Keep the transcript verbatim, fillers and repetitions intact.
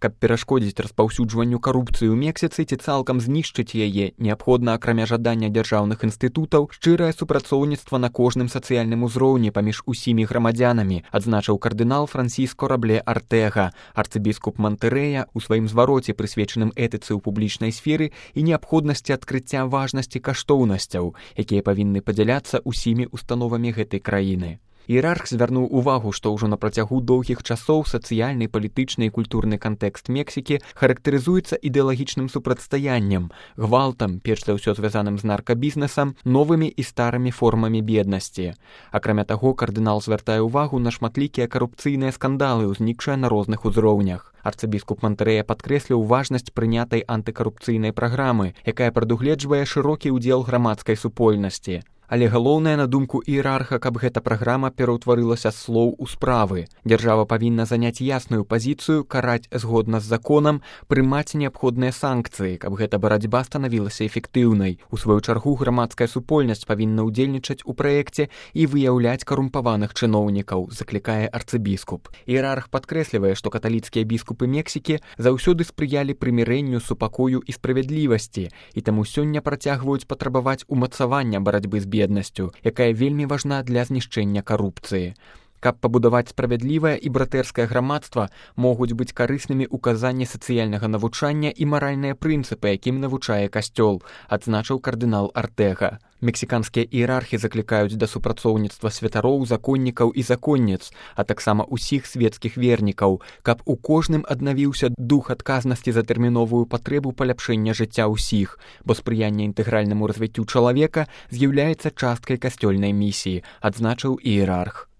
Каб перашкодзіць распаўсюджванню карупцыі ў Мексіцы ці цалкам знішчыць яе, неабходна, акрамя жадання дзяржаўных інстытутаў, шчырае супрацоўніцтва на кожным сацыяльным узроўні паміж усімі грамадзянамі, адзначыў кардынал Франсіско Рабле Артэга, арцыбіскуп Монтэрэя у сваім звароце, прысвечаным этыцы ў публічнай сферы і неабходнасці адкрыцця важнасці каштоўнасцяў, якія павінны падзяляцца усімі установамі гэтай краіны. Іерарх звярнуў увагу, што ўжо на працягу доўгіх часоў сацыяльны, палітычны і культурны кантэкст Мексікі характарызуецца ідэалагічным супрацьстаяннем, гвалтам, перш за ўсё звязаным з наркабізнесам, новымі і старымі формамі беднасці. Акрамя таго, кардынал звяртае ўвагу на шматлікія карупцыйныя скандалы, узнікшыя на розных узроўнях. Арцыбіскуп Монтэрэя падкрэсліў важнасць прынятай антыкарупцыйнай праграмы, якая прадугледжвае шырокі ўдзел грамадскай супольнасці. Але галоўнае, на думку іерарха, каб гэта праграма пераўтварылася з слоў у справы. Дзяржава павінна заняць ясную пазіцыю, караць згодна з законам, прымаць неабходныя санкцыі, каб гэта барацьба станавілася эфектыўнай. У сваю чаргу грамадская супольнасць павінна ўдзельнічаць у праекце і выяўляць карумпаваных чыноўнікаў, заклікае арцыбіскуп. Іерарх падкрэслівае, што каталіцкія біскупы Мексікі заўсёды спрыялі прымірэнню, супакою і справядлівасці, і таму сёння працягваюць патрабаваць умацавання барацьбы з беднасцю, якая вельмі важна для знішчэння карупцыі. Каб пабудаваць справядлівае і братэрскае грамадства, могуць быць карыснымі указанні сацыяльнага навучання і маральныя прынцыпы, якім навучае касцёл, адзначыў кардынал Артэга. Мексіканскія іерархі заклікаюць да супрацоўніцтва святароў, законнікаў і законніц, а таксама ўсіх свецкіх вернікаў, каб у кожным аднавіўся дух адказнасці за тэрміновую патрэбу паляпшэння жыцця ўсіх, бо спрыянне інтэгральнаму развіццю чалавека з'яўляецца часткай касцёльнай місіі, адзначыў іерарх.